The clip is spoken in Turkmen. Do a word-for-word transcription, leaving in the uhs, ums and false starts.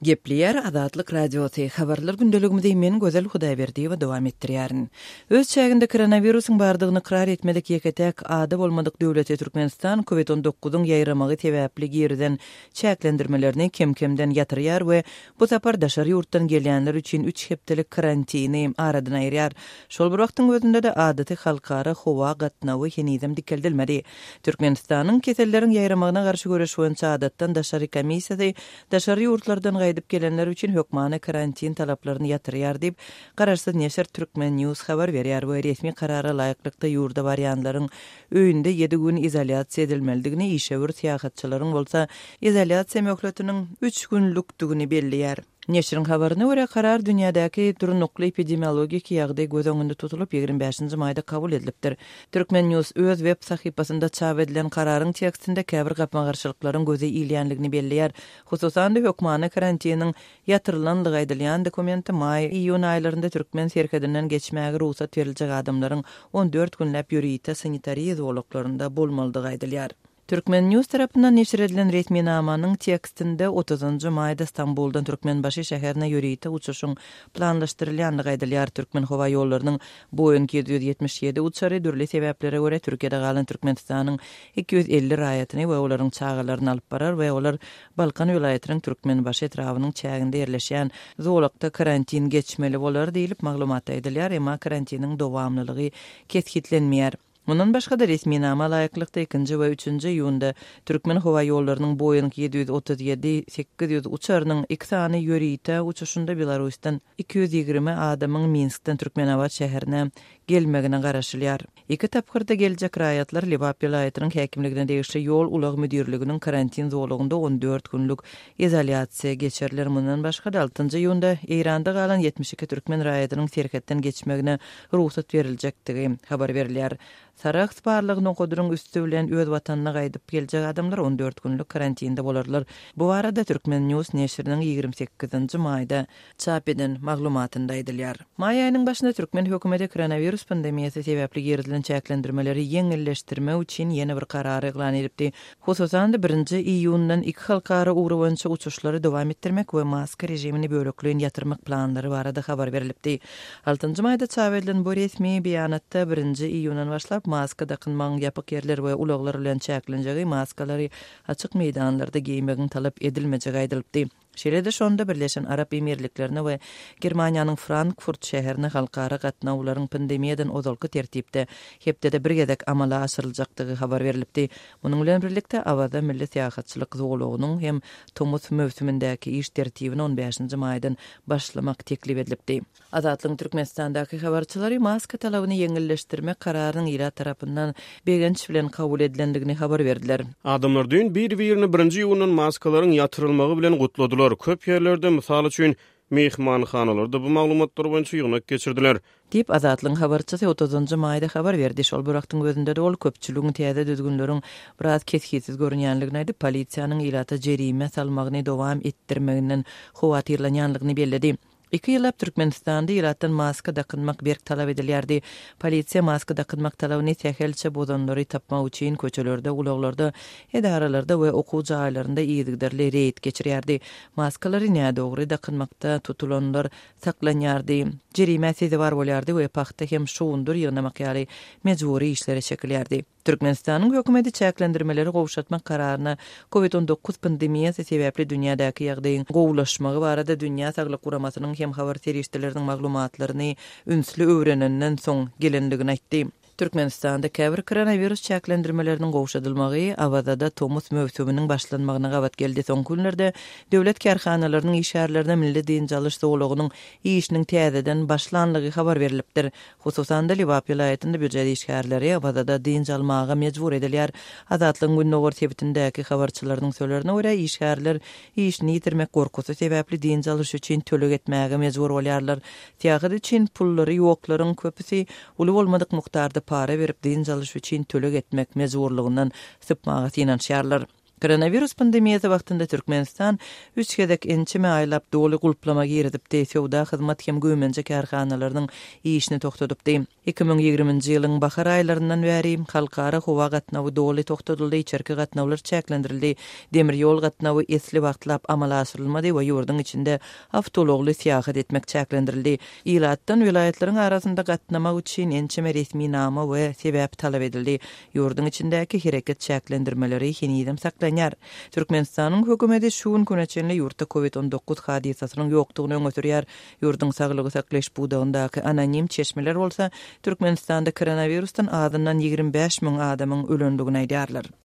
Gepleýär Azatlyk Radiosy, Habarlar gündeligimizi men Gözel Hudaýberdiýewa dowam etdirýärin. Öz çäginde koronawirusyň bardygyny ykrar etmedik ýeke-täk ada bolmadyk döwleti Türkmenistan Covid on dokuzyň ýaýramagy sebäpli girizen çäklendirmelerini kem-kemden ýatyrýar we bu sapar daşary ýurtdan gelýänler üçin üç hepdelik karantini aradan aýyrýar. Şol bir wagtyň özünde-de adaty halkara howa gatnawy henizem dikeldilmedi. Türkmenistanyň keselleriň ýaýramagyna garşy göreş boýunça adatdan daşary komissiýasy daşary ýurtlardan gaýdyp gelenler üçin hökmany karantin talaplaryny ýatyrýar diýip, garaşsyz neşir Türkmen News habar berýär we resmi karara laýyklykda ýurda barýanlaryň öýünde ýedi gün izolýasiýa edilmelidigini, işewür syýahatçylaryň bolsa izolýasiýa möhletiniň üç günlükdigini belleýär. Neşiriň habaryna görä, karar dünýädäki durnukly epidemiologik ýagdaý göz öňünde tutulyp ýigrimi bäşinji maýda kabul edilipdir. Türkmen News öz web sahypasynda çap edilen kararyň tekstinde käbir gapma-garşylyklaryň göze ilýänligini belleýär. Hususan-da hökmany karantiniň ýatyrylanlygy aýdylýan dokumenti maý-iýun aýlarynda türkmen serhedinden geçmäge rugsat beriljek adamlaryň on dört günläp ýörite sanitariýa zolaklarynda bolmalydygy aýdylýar. Türkmen News tarapyndan neşir edilen resminamanyň tekstinde otuzynjy maýda Stambuldan Türkmenbaşy şäherine ýörite uçuşyň planlaşdyrylýanlygy aýdylýar. Türkmen howa ýollarynyň Boeing ýedi ýüz ýetmiş ýedi uçary dürli sebäplere görä Türkiýede galan Türkmenistanyň iki ýüz elli raýatyny we olaryň çagalaryny alyp barar we olar Balkan welaýatynyň Türkmenbaşy etrabynyň çäginde ýerleşýän zolakda karantin geçmeli bolar diýlip maglumatda aýdylýar, emma karantiniň dowamlylygy kesgitlenmeýär. Mundan başga-da resminama laýyklykda ikinji we üçünji iýunda Türkmen howa ýollarynyň Boeing ýedi ýüz otuz ýedi sekiz ýüz uçarynyň iki sany ýörite uçuşynda Belarusdan iki ýüz ýigrimi adamyň Minskden Türkmenabat şäherine gelmegine garaşylýar. Iki tapgyrda geljek raýatlar Lebap welaýatynyň häkimligine degişli ýol ulag müdirliginiň karantin zolagynda on dört günlük izolýasiýa geçiriler. Mundan başga-da altynjy iýunda Eýranda galan ýetmiş iki türkmen raýatynyň serhetden geçmegine rugsat beriljekdigi habar berilýär. Sarahs barlygy nokadynyň üsti bilen öz watanyna gaýdyp geljek adamlar on dört günlük karantinde bolarlar. Bu barada Türkmen News neşiriniň ýigrimi sekizinji maýda çap eden maglumatynda aýdylýar. Maý aýynyň başynda türkmen hökümeti koronawirus pandemiýasy sebäpli girizilen çäklendirmeleri ýeňilleşdirmek üçin ýene bir karary yglan edipdi. Hususan-da birinji iýundan iki halkara ugry boýunça uçuşlary dowam etdirmek we maska režimini bölekleýin ýatyrmak planlary barada habar berilipdi. Altynjy maýda çap edilen bu resmi beýanatda birinji iýundan başlap maska dakynmagyň ýapyk ýerler we ulaglar bilen çäklenjegi, maskalary açyk meýdanlarda geýmegiň talap edilmejegi aýdylypdy. Şeýle-de şonda Birleşen Arap Emirliklerine we Germaniýanyň Frankfurt şäherine halkara gatnawlaryň pandemiýadan ozalky tertipde hepdede bir gezek amala aşyryljakdygy habar berilipdi. Munuň bilen birlikde Awaza milli syýahatçylyk zolagynyň hem tomus möwsümindäki iş tertibini on bäşinji maýdan başlamak teklip edilipdi. Azatlygyň Türkmenistandaky habarçylary maska talabyny ýeňilleşdirmek kararynyň ilat tarapyndan begenç bilen kabul edilendigini habar berdiler. Adamlar düýn bir-birini birinji iýundan maskalaryň ýatyrylmagy bilen gutladylar. Köp ýerlerde, mysal üçin, mehmanhanalarda bu maglumatlar boýunça ýygnak geçirdiler. Diýip, Azatlygyň habarçysy otuzynjy maýda habar berdi. Şol bir wagtyň özünde-de ol köpçüligiň täze düzgünleriň biraz kesgitsiz görünýänligini aýdyp, polisiýanyň ilata jerime salmagyny dowam etdirmeginden howatyrlanýanlygyny belledi. Iki ýyllap Türkmenistanda ilatdan maska dakynmak berk talap edilýärdi. Polisiýa maska dakynmak talabyny sähelçe bozanlary tapmak üçin köçelerde, ulaglarda, edaralarda we okuw jaýlarynda yzygiderli reýd geçirýärdi. Maskalary nädogry dakynmakda tutulanlar saklanýardy. Jerime sezewar bolýardy we pagta hem şugundyr ýygnamak ýaly mejbury işlere çekilýärdi. Türkmenistanyň hökümeti çäklendirmeleri gowşatmak kararyna Covid on dokuz pandemiýasy sebäpli dünýädäki ýagdaýyň gowulaşmagy barada Dünýä Saglyk Guramasynyň hem habar serişdeleriniň maglumatlaryny ünsli öwrenenden soň gelenligini aýtdy. Türkmenistanda käbir koronawirus çäklendirmeleriniň gowşadylmagy Awazada tomus möwsüminiň başlanmagyna gabat geldi. Soňky günlerde döwlet kärhanalarynyň işgärlerine milli dynç alyş zolagynyň işiniň täzeden başlanlygy habar berilipdir. Hususan-da Lebap welaýatynda býujet işgärleri Awazada dynç almaga mejbur edilýär. Azatlygyň Gündogar sebitindäki habarçylarynyň sözlerine görä, işgärler işini ýitirmek gorkusy sebäpli dynç alyş üçin töleg etmäge mejbur bolýarlar. Syýahat üçin pullary ýoklaryň köpüsi uly bolmadyk mukdarda para berip dynç alyş üçin töleg etmek mejburlygyndan sypmaga synanyşýarlar. Koronawirus pandemiýasy wagtynda Türkmenistan üç gezek ençeme aýlap doly gulplama girizipdi, söwda hyzmat hem güýmenje kärhanalarynyň işini togtadypdy. Iki müň ýigriminji ýylyň bahar aýlaryndan bäri halkara howa gatnawy doly togtadyldy, içerki gatnawlar çäklendirildi, demir ýol gatnawy esli wagtlap amala aşyrylmady we ýurduň içinde awtoulagly syýahat etmek çäklendirildi. Ilatdan welaýatlaryň arasynda gatnamak üçin ençeme resminama we sebäp talap edildi. Ýurduň içindäki hereket çäklendirmeleri henizem saklanýar. Türkmenistanyň hökümeti şu gün güne çenli ýurtda COVID on dokuz hadysasynyň ýokdugyny öňe sürýär. Ýurduň saglygy saklaýyş pudagyndaky anonim çeşmeler bolsa Türkmenistanda koronawirusdan azyndan ýigrimi bäş müň adamyň ölendigini aýdýarlar.